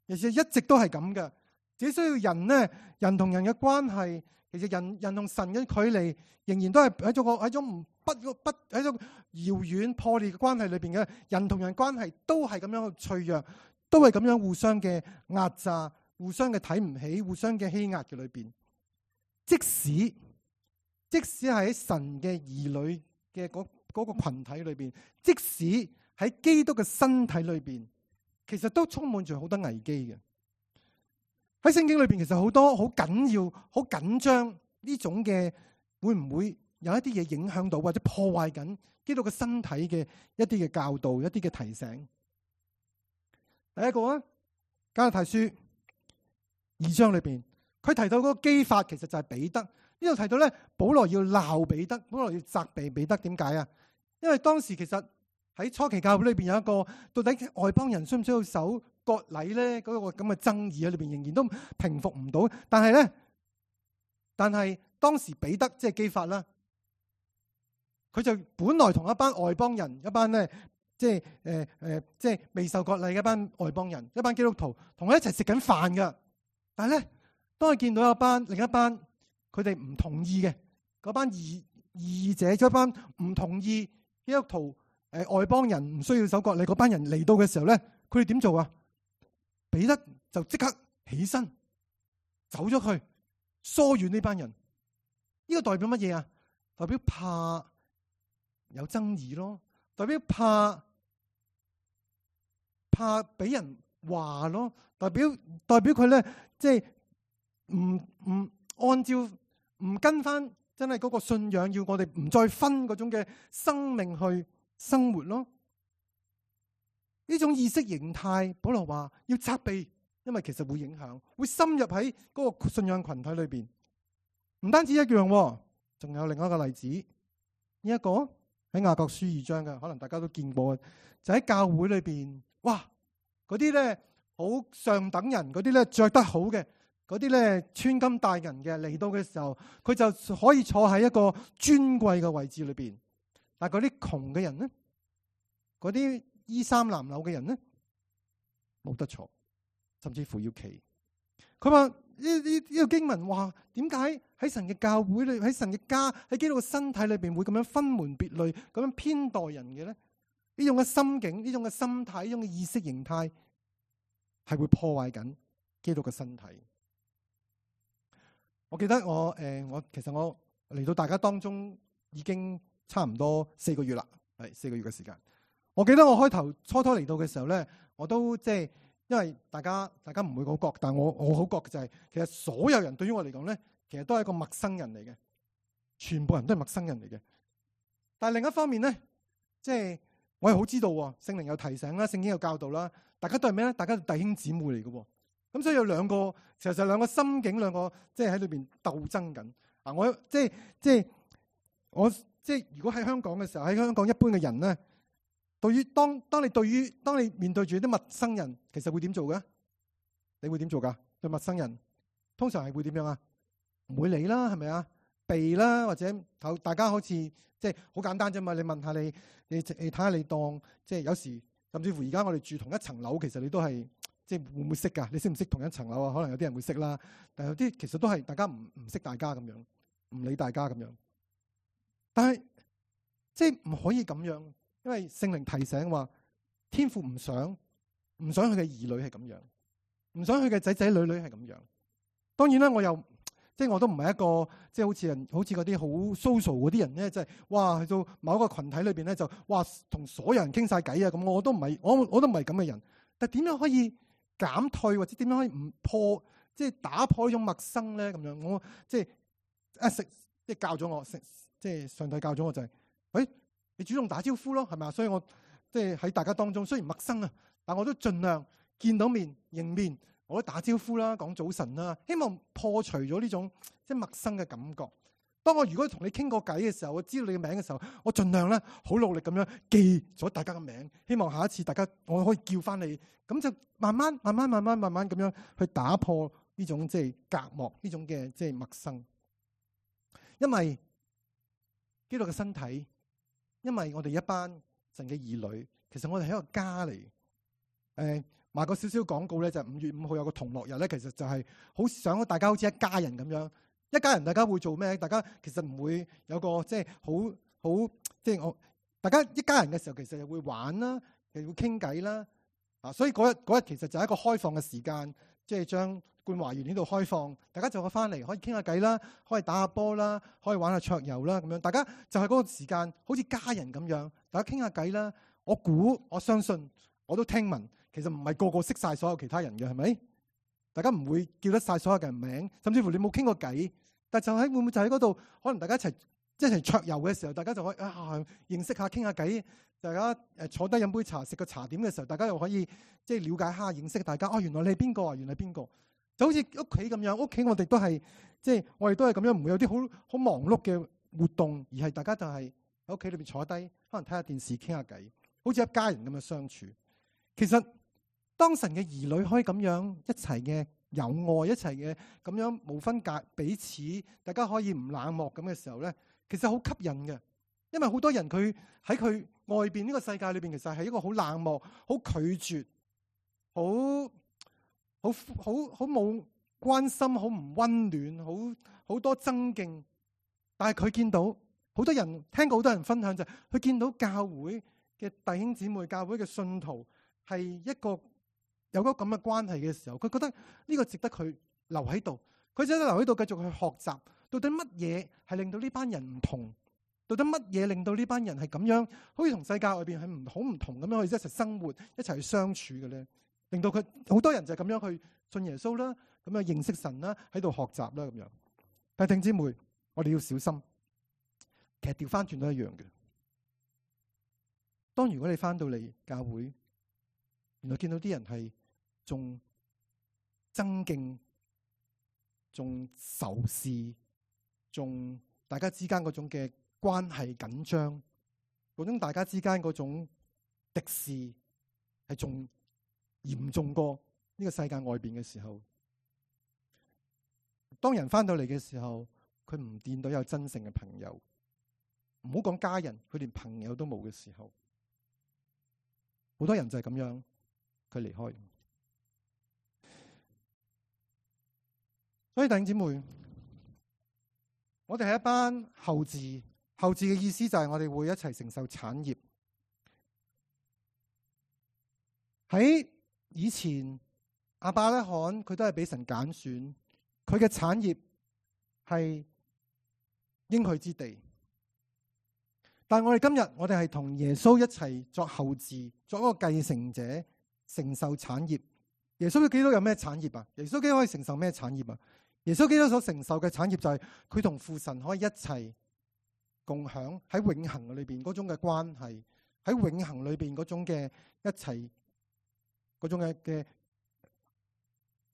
其實一直都係咁嘅，只需要人呢，人同人嘅關係，其實人同神嘅距離仍然都係喺種喺種遙遠破裂嘅關係裏邊嘅，人同人關係都係咁樣嘅脆弱，都係咁樣互相嘅壓榨、互相嘅睇唔起、互相嘅欺壓嘅裏邊。即使係喺神嘅兒女嘅嗰個群體裏邊，即使喺基督嘅身體裏邊，其實都充滿住好多危機嘅。喺聖經裏邊，其實好多好緊要、好緊張呢種嘅，會唔會有一啲嘢影響到或者破壞緊基督嘅身體嘅一啲嘅教導、一啲嘅提醒？第一個啊，加拉太書2章裏邊，佢提到嗰個基法，其實就係彼得。呢度提到咧，保羅要鬧彼得，保羅要責備彼得。點解啊？因為當時其實喺初期教會裏邊有一個到底外邦人需唔需要守割禮咧？嗰個咁嘅爭議喺裏邊仍然都平復唔到。但係當時彼得即係基法啦，佢就本來同一班外邦人，一班咧即係未受割禮嘅一班外邦人，一班基督徒同佢一齊食緊飯噶。但係咧，當佢見到另一班佢哋唔同意嘅嗰班異者，一班唔同意基督徒外邦人唔需要守割禮嗰班人嚟到嘅時候咧，佢哋點做啊？彼得就即刻起身走咗去疏遠呢班人。呢個代表乜嘢啊？代表怕有爭議咯，代表怕俾人話咯，代表佢咧即係唔按照唔跟翻真係嗰個信仰，要我哋唔再分嗰種嘅生命去生活咯。呢種意識形態，保羅話要責備，因為其實會影響，會深入喺嗰個信仰群體裏邊。唔單止一樣，仲有另一個例子。呢一個喺雅各書2章嘅，可能大家都見過，就喺教會裏邊，哇！嗰啲咧好上等人，嗰啲咧着得好嘅，嗰啲咧穿金戴銀嘅嚟到嘅時候，佢就可以坐喺一個尊貴嘅位置裏邊。但係嗰啲窮嘅人咧，嗰啲衣衫襤褸嘅人咧，冇得坐，甚至乎要企。佢話呢個經文話，點解喺神嘅教會裏，喺神嘅家，喺基督嘅身體裏邊會咁樣分門別類，咁樣偏待人嘅咧？呢種嘅心境，呢種嘅心態，呢種嘅意識形態，係會破壞緊基督嘅身體。我記得其實我嚟到大家當中已經差唔多4個月啦，係4個月嘅時間。我記得我初初嚟到嘅時候咧，我都即係因為大家唔會好覺，但我好覺嘅就係，其實所有人對於我嚟講咧，其實都係一個陌生人嚟嘅，全部人都係陌生人嚟嘅。但係另一方面咧，即係我係好知道聖靈有提醒啦，聖經有教導啦，大家都係咩咧？大家係弟兄姊妹嚟嘅。咁所以有兩個，其實兩個心境，兩個即係喺裏邊鬥爭緊。我如果喺香港嘅時候，喺香港一般嘅人咧，當你面對住啲陌生人，其實會點做嘅？你會點做噶？對陌生人，通常係會點樣啊？唔會理啦，係咪啊？避啦，或者大家好似即係好簡單啫嘛。你問下你睇下你當即係有時，甚至乎而家我哋住同一層樓，其實你都係即係會唔會識噶？你識唔識同一層樓啊？可能有啲人會識啦，但係有啲其實都係大家唔識大家咁樣，唔理大家咁樣。但係即係唔可以咁樣。因為聖靈提醒話，天父唔想佢嘅兒女係咁樣，唔想佢嘅仔仔女女係咁樣。當然啦，我都唔係一個即係好似嗰啲好 social 嗰啲人咧，即係哇去到某一個群體裏邊咧就哇同所有人傾晒偈啊咁。我都唔係咁嘅人。但係點樣可以減退，或者點樣可以唔破，即係打破呢種陌生咧？咁樣我即係教咗我，即係上帝教咗我就係，你主動打招呼咯，係咪啊？所以我即係喺大家當中，雖然陌生啊，但我都盡量見到面迎面，我都打招呼啦，講早晨啦，希望破除咗呢種即係陌生嘅感覺。當我如果同你傾過偈嘅時候，我知道你嘅名嘅時候，我盡量咧好努力咁樣記咗大家嘅名，希望下一次大家我可以叫翻你，咁就慢慢咁樣去打破呢種即係隔膜，呢種嘅即係陌生。因為基督嘅身體。因為我哋一班神嘅兒女，其實我哋係一個家嚟。賣個少少廣告咧，就5月5號有個同樂日咧，其實就係好想大家好似一家人咁樣。一家人大家會做咩？大家其實唔會有個即係好即係大家一家人嘅時候，其實又會玩啦，又會傾偈啦。所以嗰日其實就係一個開放嘅時間，即係將冠華園呢度開放，大家就可以翻嚟，可以傾下偈啦，可以打下波啦，可以玩下桌遊啦，咁樣大家就係嗰個時間，好似家人咁樣，大家傾下偈啦。我相信，我都聽聞，其實唔係個個識晒所有其他人嘅，係咪？大家唔會叫得晒所有嘅人名，甚至乎你冇傾過偈，但就喺會唔會就喺嗰度，可能大家一齊桌遊嘅時候，大家就可以認識下傾下偈。大家坐低飲杯茶，食個茶點嘅時候，大家又可以即係了解下、認識大家。原來你係邊個啊？原來邊個？就好似屋企咁樣，屋企我哋都係即係我哋都係咁樣，唔會有啲好忙碌嘅活動，而係大家就係喺屋企裏邊坐低，可能睇下電視、傾下偈，好似一家人咁樣相處。其實當神嘅兒女可以咁樣一齊嘅有愛，一齊嘅咁樣無分彼此，大家可以唔冷漠咁嘅時候咧，其實好吸引嘅。因為好多人佢喺佢外邊呢個世界裏邊，其實係一個好冷漠、好拒絕、好冇關心、好唔溫暖、好多爭競。但係佢見到好多人，聽過好多人分享就係，佢見到教會嘅弟兄姊妹、教會嘅信徒係一個有個咁嘅關係嘅時候，佢覺得呢個值得佢留喺度。佢想留喺度繼續去學習，到底乜嘢係令到呢班人唔同？到底乜嘢令到呢班人係咁樣，好似同世界外邊係好唔同咁樣去一齊生活、一齊去相處嘅咧？令到佢好多人就係咁樣去信耶穌啦，咁啊認識神啦，喺度學習啦咁樣。但係弟兄姊妹，我哋要小心，其實調翻轉都一樣嘅。當如果你翻到嚟教會，原來見到啲人係仲爭競、仲仇視、仲大家之間嗰種嘅關係緊張，嗰種大家之間嗰種敵視係仲嚴重過呢個世界外邊嘅時候，當人翻到嚟嘅時候，佢唔見到有真誠嘅朋友，唔好講家人，佢連朋友都冇嘅時候，好多人就係咁樣，佢離開。所以弟兄姊妹，我哋係一班後嗣，後嗣嘅意思就係我哋會一齊承受產業。喺以前亞伯拉罕佢都係俾神揀選，佢嘅產業係應許之地。但係我哋今日，我哋係同耶穌一齊作後嗣，作一個繼承者，承受產業。耶穌基督有咩產業啊？耶穌基督可以承受咩產業啊？耶穌基督所承受嘅產業就係佢同父神可以一齊共享喺永恆裏邊嗰種嘅關係，喺永恆裏邊嗰種嘅一齊嗰種嘅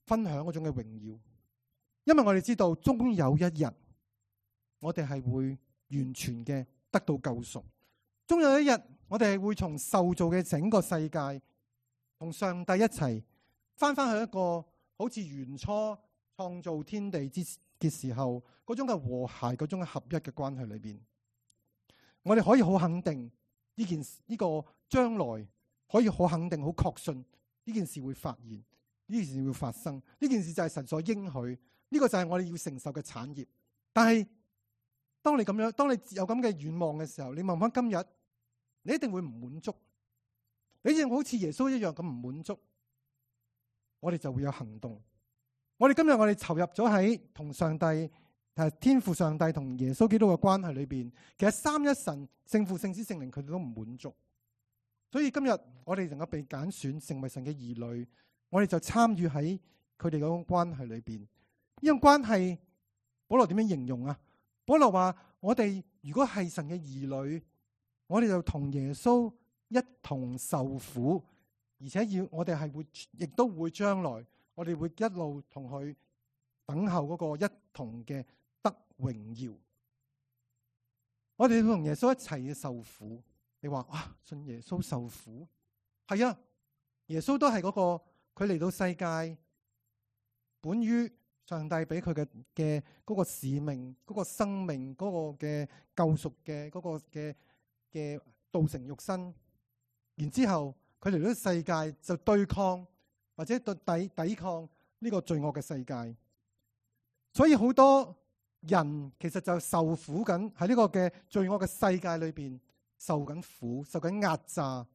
分享嗰種嘅榮耀。因為我哋知道終有一日，我哋係會完全嘅得到救贖。終有一日，我哋係會從受造嘅整個世界同上帝一齊翻去一個好似原初創造天地嘅時候嗰種嘅和諧、嗰種嘅合一嘅關係裏邊，我哋可以好肯定呢個將來，可以好肯定、好確信呢件事會發現，呢件事會發生，呢件事就係神所應許，呢個就係我哋要承受嘅產業。但係當你有咁嘅願望嘅時候，你問翻今日，你一定會唔滿足，你正好似耶穌一樣咁唔滿足，我哋就會有行動。我哋今日我哋投入咗喺同上帝、天父上帝同耶穌基督嘅關係裏邊，其實三一神聖父、聖子、聖靈佢哋都唔滿足，所以今日我哋能夠被揀選成為神嘅兒女，我哋就參與喺佢哋嗰種關係裏邊。呢種關係，保羅點樣形容啊？保羅話：我哋如果係神嘅兒女，我哋就同耶穌一同受苦，而且我哋係會，亦都會將來。我哋會一路同佢等候嗰個一同嘅得榮耀。我哋會同耶穌一齊嘅受苦。你話哇，信耶穌受苦？係啊，耶穌都係嗰個，佢嚟到世界，本於上帝俾佢嘅嗰個使命、嗰個生命、嗰個嘅救贖嘅嗰個嘅道成肉身。然之後佢嚟到世界就對抗。或者抵抗呢個罪惡嘅世界，所以好多人其實就受苦緊喺呢個嘅罪惡嘅世界裏邊受緊苦、受緊壓榨。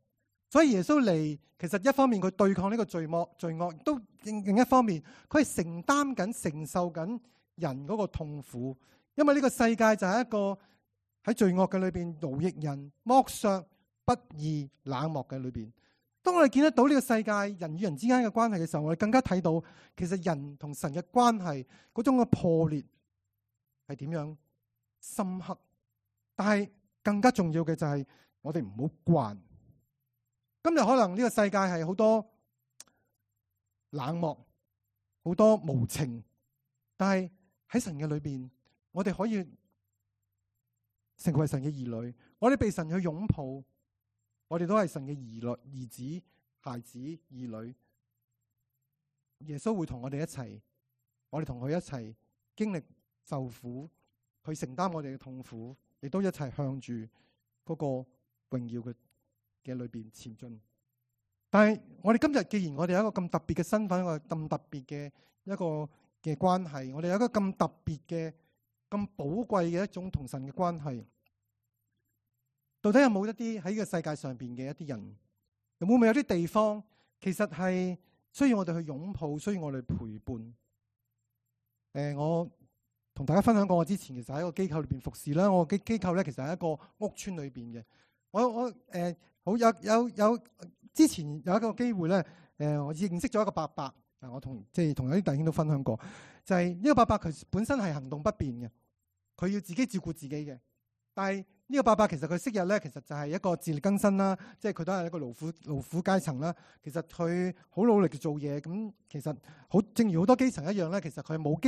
所以耶穌嚟，其實一方面佢對抗呢個罪惡，都另一方面佢係承擔緊、承受緊人嗰個痛苦。因為呢個世界就係一個喺罪惡嘅裏邊奴役人、剝削、不義、冷漠嘅裏邊。當我哋見得到呢個世界人與人之間嘅關係嘅時候，我哋更加睇到其實人同神嘅關係嗰種嘅破裂係點樣深刻。但係更加重要嘅就係我哋唔好慣。今日可能呢個世界係好多冷漠、好多無情，但係喺神嘅裏邊，我哋可以成為神嘅兒女，我哋被神去擁抱。我哋都係神嘅兒子、孩子、兒女。耶穌會同我哋一齊，我哋同佢一齊經歷受苦，去承擔我哋嘅痛苦，亦都一齊向住嗰個榮耀嘅裏邊前進。但係我哋今日既然我哋有一個咁特別嘅身份，一個咁特別嘅一個嘅關係，我哋有一個咁特別嘅、咁寶貴嘅一種同神嘅關係。到底有冇一啲喺呢個世界上邊嘅一啲人，會唔會有啲地方其實係需要我哋去擁抱，需要我哋陪伴？我同大家分享過，我之前其實喺一個機構裏邊服侍啦。我嘅機構咧其實係一個屋村裏邊嘅。好有之前有一個機會咧，我認識咗一個伯伯，我同有啲弟兄都分享過，就係呢個伯伯佢本身係行動不便嘅，佢要自己照顧自己嘅。但係呢個伯伯其實佢昔日咧，其實就係一個自力更生啦，即係佢都係一個勞苦階層啦。其實佢好努力嘅做嘢，咁其實好正如好多基層一樣咧，其實佢冇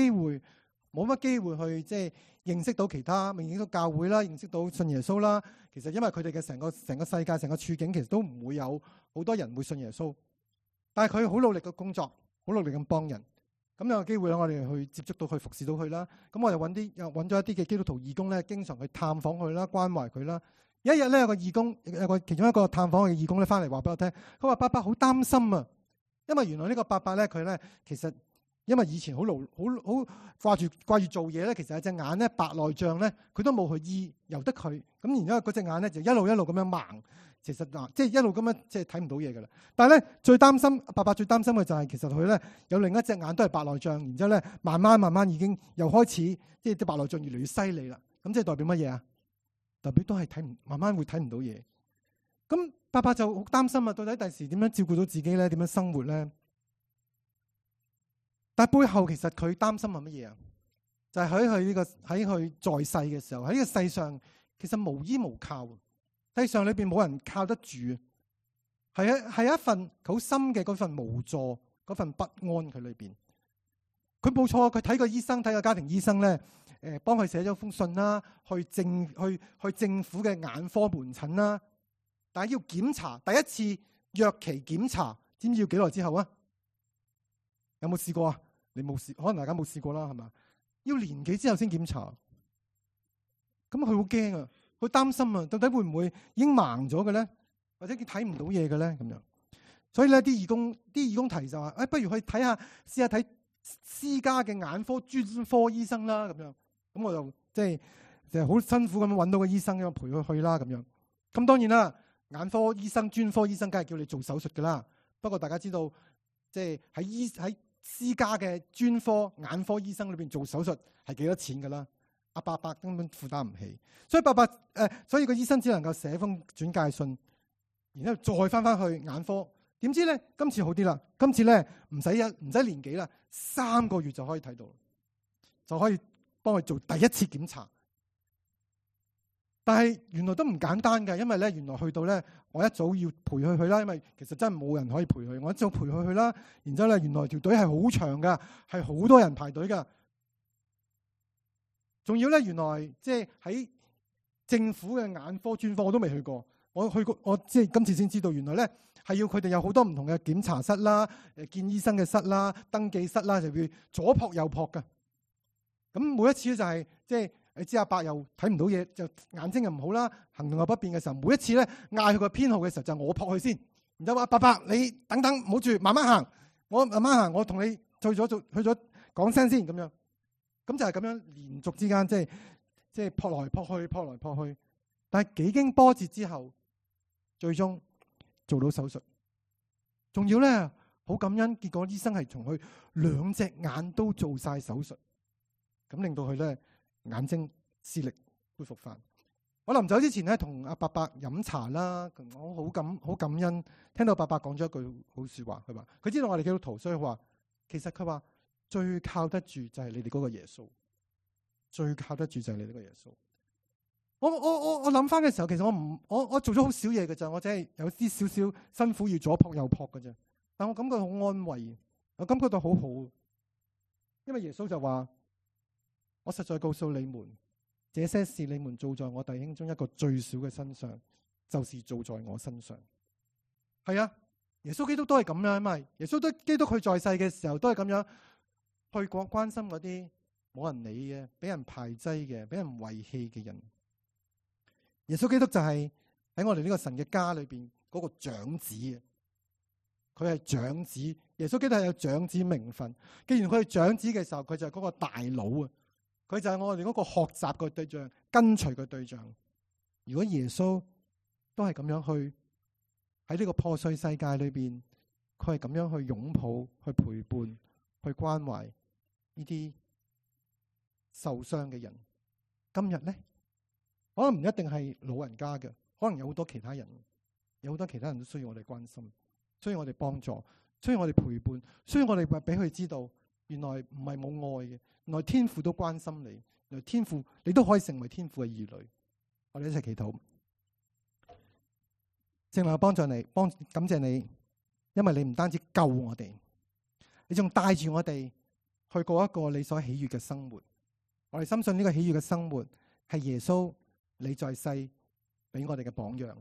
乜機會去即係認識到其他，認識到教會啦，認識到信耶穌啦。其實因為佢哋嘅成個世界、成個處境，其實都唔會有好多人會信耶穌。但係佢好努力嘅工作，好努力咁幫人。咁有個機會咧，我哋去接觸到佢，服侍到佢啦。咁我哋揾咗一啲嘅基督徒義工咧，經常去探訪佢啦，關懷佢啦。有一日咧，有個義工，其中一個探訪嘅義工咧，翻嚟話俾我聽，佢話伯伯好擔心啊，因為原來呢個伯伯咧，佢咧其實因為以前好掛住做嘢咧，其實有隻眼咧白內障咧，佢都冇去醫，由得佢。咁然之後嗰隻眼咧就一路咁樣盲。其實即係一路咁樣即係睇唔到嘢㗎啦。但係咧伯伯最擔心嘅就係其實佢咧有另一隻眼都係白內障，然之後咧慢慢已經又開始即係啲白內障越嚟越犀利啦。咁即係代表乜嘢啊？代表都係慢慢會睇唔到嘢。咁伯伯就好擔心啊，到底第時點樣照顧到自己咧？點樣生活咧？但係背後其實佢擔心係乜嘢啊？就係喺佢在世嘅時候，喺呢個世上其實無依無靠。世上裏邊冇人靠得住，係一份好深嘅嗰份無助，嗰份不安佢裏邊。佢冇錯，佢睇個家庭醫生咧，幫佢寫咗封信啦，去政府嘅眼科門診啦。但係要檢查第一次約期檢查，知唔知要幾耐之後啊？有冇試過啊？你冇試，可能大家冇試過啦，係嘛？要年幾之後先檢查，咁佢好驚啊！佢擔心啊，到底會唔會已經盲咗嘅咧，或者佢睇唔到嘢嘅咧咁樣？所以咧，啲義工提就話，不如去試下睇私家嘅眼科專科醫生啦咁樣。咁我就即係好辛苦咁樣揾到個醫生，咁陪佢去啦咁樣。咁當然啦，眼科醫生、專科醫生梗係叫你做手術噶啦。不過大家知道，即係喺私家嘅專科眼科醫生裏邊做手術係幾多錢噶啦？阿伯伯根本負擔唔起，所以個醫生只能夠寫封轉介信，然之後再翻去眼科。點知咧今次好啲啦，今次咧唔使年幾啦，3個月就可以睇到，就可以幫佢做第一次檢查。但係原來都唔簡單嘅，因為咧原來去到咧，我一早要陪佢去啦，因為其實真係冇人可以陪佢，我一早陪佢去啦。然之後咧，原來條隊係好長噶，係好多人排隊噶。仲要咧，原來即係喺政府嘅眼科專科我都未去過，我去過，我即係今次先知道，原來咧係要佢哋有好多唔同嘅檢查室啦、見醫生嘅室啦、登記室啦，就要左撲右撲噶。咁每一次咧就係即係你知阿伯又睇唔到嘢，就眼睛又唔好啦，行動又不便嘅時候，每一次咧嗌佢個編號嘅時候，就我撲佢先，然之後話伯伯你等等，唔好住，慢慢行，我慢慢行，我同你去咗講聲先咁樣。咁就係咁樣連續之間，即係撲來撲去，但係幾經波折之後，最終做到手術。仲要咧好感恩，結果醫生係從佢2隻眼都做晒手術，咁令到佢咧眼睛視力恢復翻。我臨走之前咧，同阿伯伯飲茶啦，我好感恩，聽到伯伯講咗一句好說話，佢話佢知道我哋基督徒，所以佢話其實佢話。最靠得住就係你哋嗰個耶穌，最靠得住就係你哋嗰個耶穌。我諗翻嘅時候，其實我做咗好少嘢嘅咋，我只係有啲少少辛苦要左撲右撲嘅啫。但我感覺好安慰，我感覺到好好，因為耶穌就話：我實在告訴你們，這些事你們做在我弟兄中一個最小嘅身上，就是做在我身上。係啊，耶穌基督都係咁樣，因為耶穌基督佢在世嘅時候都係咁樣。去關心嗰啲冇人理嘅、俾人排擠嘅、俾人遺棄嘅人。耶穌基督就係喺我哋呢個神嘅家裏邊嗰個長子，佢係長子。耶穌基督係有長子名分。既然佢係長子嘅時候，佢就係嗰個大佬啊！佢就係我哋嗰個學習嘅對象、跟隨嘅對象。如果耶穌都係咁樣去喺呢個破碎世界裏邊，佢係咁樣去擁抱、去陪伴、去關懷呢啲受傷嘅人，今日咧可能唔一定係老人家嘅，可能有好多其他人，有好多其他人都需要我哋關心。需要我哋幫助，需要我哋陪伴，需要我哋俾佢知道，原來唔係冇愛嘅，原來天父都關心你，原來天父你都可以成為天父嘅兒女。我哋一齊祈禱。聖靈幫助你，感謝你，因為你唔單止救我哋，你仲帶住我哋去過一個你所喜悅嘅生活。我哋深信呢個喜悅嘅生活係耶穌你在世俾我哋嘅榜樣。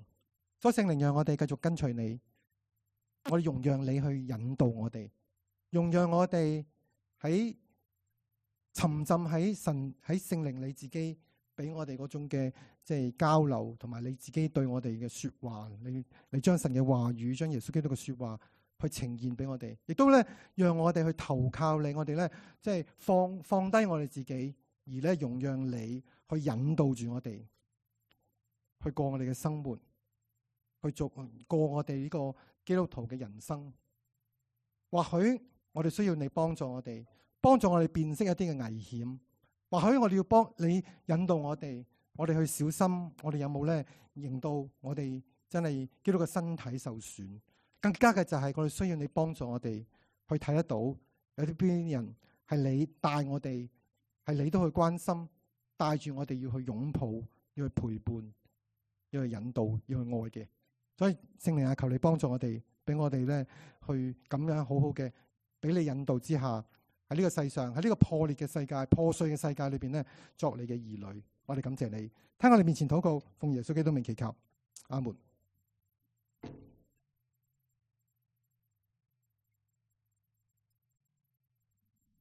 所以聖靈讓我哋繼續跟隨你，我哋容讓你去引導我哋，容讓我哋喺沉浸喺神喺聖靈你自己俾我哋嗰種嘅即係交流，同埋你自己對我哋嘅說話，你將神嘅話語，將耶穌基督嘅說話去呈現俾我哋，亦都咧讓我哋去投靠你，我哋咧即係放低我哋自己，而咧容讓你去引導住我哋去過我哋嘅生活，去過我哋呢個基督徒嘅人生。或許我哋需要你幫助我哋辨識一啲嘅危險。或許我哋要幫你引導我哋去小心，我哋有冇咧令到我哋真係基督嘅身體受損。更加嘅就係我哋需要你幫助我哋去睇得到有啲邊人係你帶我哋，係你都去關心，帶住我哋要去擁抱，要去陪伴，要去引導，要去愛嘅。所以聖靈啊，求你幫助我哋，俾我哋咧去咁樣好好嘅俾你引導之下，喺呢個世上，喺呢個破裂嘅世界、破碎嘅世界裏邊咧，作你嘅兒女。我哋感謝你，聽我哋面前禱告，奉耶穌基督名祈求，阿門。